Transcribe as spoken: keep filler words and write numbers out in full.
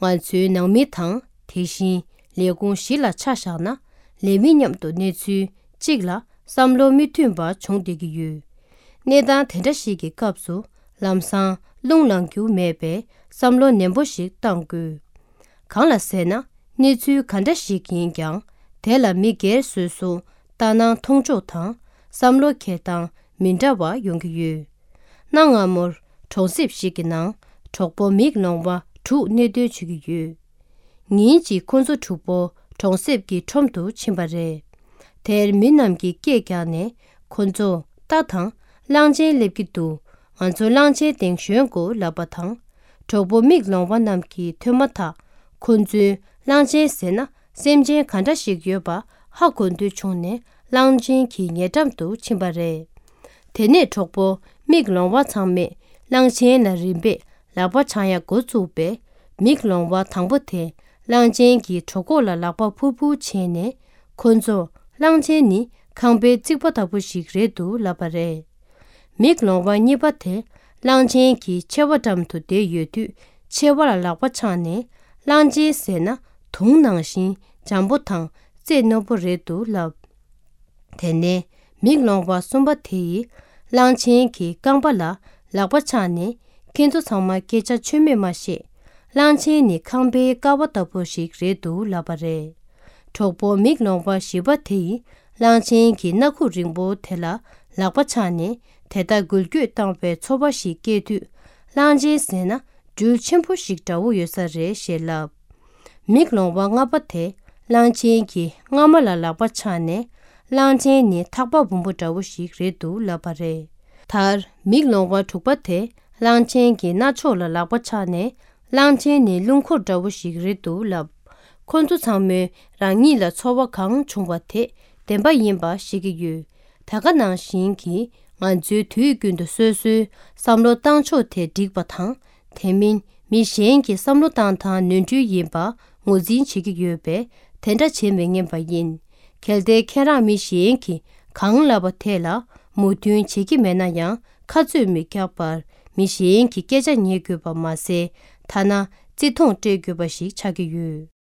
ང་ཚོའི་ནང་མི་དང་དེ་བཞིན་ལས་ཁུངས་གཞི་ལ་ཆ་བཞག་ན། ལས་མི་མཉམ་དུ་གནས་ཚུལ་གཅིག་ལ་བསམ་བློ་མི་མཐུན་པ་བྱུང་བསྡད་ཀྱི་ཡོད། གནས་སྟངས་དེ་འདྲ་ཞིག་གི་སྐབས་སུ་ལམ་སང་རླུང་ལངས་རྒྱུ་མེད་པས་བསམ་བློ་ནན་པོ་ཞིག་གཏང་དགོས། གང་ལ་ཟེར་ན། གནས་ཚུལ་ག་འདྲ་ཞིག་ཡིན་ཀྱང་། དེ་ལ་མི་སྒེར་སོ་སོ་ལྟ་སྣང་མཐོང་ཕྱོགས་དང་བསམ་བློ་འཁྱེར་སྟངས་མི་འདྲ་བ་ཡོང་གི་ཡོད། གནའ་སྔ་མོར་གྲོང་གསེབ་ཞིག་གི་ནང་གྲོགས་པོ་མིག་ལོང་བ་དྲུག་གནས་སྡོད་བྱེད་ཀྱི་ཡོད། ཉིན་གཅིག་ཁོ་ཚོ་དྲུག་པོ་གྲོང་གསེབ་ཀྱི་ཁྲོམ་དུ་ཕྱིན་པ་རེད། དེར་མི་རྣམས་ཀྱིས་སྐད་བཀྱགས་ནས་ཁོ་ཚོ་རྟ་དང་གླང་ཆེན་སླེབས་ཀྱི་འདུག་ང་ཚོ་གླང་ཆེན་སྟེང་ཞོན་དགོས་ལབ་པ་དང་། གྲོགས་པོ་མིག་ལོང་བ་རྣམས་ཀྱིས་ཐོས་མ་ཐག་ཁོ་ཚོས་གླང་ཆེན་ཟེར་ན་སེམས་ཅན་ག་འདྲ་ཞིག་ཡོད་པ་ཧ་གོ་འདོད་བྱུང་ནས་གླང་ཆེན་གྱི་ཉེ་འགྲམ་དུ་ཕྱིན་པ་རེད། དེ་ནས་གྲོགས་པོ་མིག་ལོང་བ་ཚང་མས་གླང་ཆེན་ལ་རིམ་པས་ལག་པ་འཆང་ཡ་འགོ་བཙུགས་པས། མིག་ལོང་བ་དང་པོ་དེ་གླང་ཆེན་གྱི་གྲོད་ཁོག་ལ་ལག་པ་འཕུར་འཕུར་བྱས་ནས། ཁོ་ཚོ་གླང་ཆེན་ནི་ཁང་པའི་རྩིག་པ་ལྟ་བུ་ཞིག་རེད་འདུག་ལབ་པ་རེད། མིག་ལོང་བ་གཉིས་པ་དེ་གླང་ཆེན་གྱི་མཆེ་བ་འགྲམ་དུ་བསྡད་ཡོད་དུས། མཆེ་བ་ལ་ལག་པ་འཆང་ནས། གླང་ཆེན་ཟེར་ན་དུང་ནང་བཞིན་འཇམ་པོ་དང་རྩེ་རྣོན་པོ་རེད་འདུག་ལབ། དེ་ནས་མིག་ལོང་བ་གསུམ་པ་དེ་ཡིས་གླང་ཆེན་གྱི་རྐང་པ་ལ་ལག་པ་འཆང་ནས། ཁྱེད་ཚོ་ཚང་མ་སྐད་ཆ་ཆོ་མེད་མ་བཤད། གླང་ཆེན་ནི་ཁང་པའི་ཀ་བ་ལྟ་བུ་ཞིག་རེད་འདུག་ལབ་པ་རེད། གྲོགས་པོ་མིག་ལོང་བ་བཞི་པ་དེ་ཡིས་གླང་ཆེན་གྱི་སྣ་ཁུག་རིང་པོ་དེ་ལ་ལག་པ་འཆང་ནས། དེ་ལྟར་འགུལ་སྐྱོད་བཏང་བའི་ཚོར་བ་ཞིག་སྐྱེས་དུས། གླང་ཆེན་ཟེར་ན་སྦྲུལ་ཆེན་པོ་ཞིག་འདྲ་བོ་ཡོད་ས་རེད་ཞེས་ལབ། མིག་ལོང་བ་ལྔ་པ་དེ་གླང་ཆེན་གྱི་རྔ་མ་ལ་ལག་པ་འཆང་ནས། གླང་ཆེན་ནི་ཐག་པ་སྦོམ་པོ་འདྲ་བོ་ཞིག་རེད་འདུག་ལབ་པ་རེད། མཐར་མིག་ལོང་བ་དྲུག་པ་དེ་གླང་ཆེན་གྱི་རྣ་ཅོག་ལ་ལག་པ་འཆང་ནས། གླང་ཆེན་ནི་རླུང་འཁོར་འདྲ་བོ་ཞིག་རེད་འདུག་ལབ། ཁོ་ཚོ་ཚང་མས་རང་ཉིད་ལ་ཚོར་བ་གང་བྱུང་བ་དེ་བདེན་པ་ཡིན་པ་ཤེས་ཀྱི་ཡོད། ད་ག་ནང་བཞིན་གྱིས་ང་ཚོའི་དུས་རྒྱུན་དུ་སོ་སོའི་བསམ་བློ་བཏང་ཕྱོགས་དེ་འགྲིག་པ་དང་། དེ་མིན་མི་གཞན་གྱི་བསམ་བློ་བཏང་སྟངས་ནོར་འཁྲུལ་ཡིན་པ་ངོས་འཛིན་བྱེད་ཀྱི་ཡོད་པས། དེ་འདྲ་བྱེད་མི་ཉན་པ་ཡིན། གལ་ཏེ་ཁྱེད་རང་མི་གཞན་གྱིས་གང་ལབ་པ་དེ་ལ་མོས་མཐུན་བྱེད་ཀྱི་མེད་ན་ཡང་། ཁ་རྩོད་མི་རྒྱག་པར་མི་གཞན་གྱི་སྐད་ཆ་ཉན་དགོས་པ་མ་ཟད། ཐ་ན་བརྩི་མཐོང་སྤྲད་དགོས་པ་ཞིག་ཆགས་ཀྱི་ཡོད།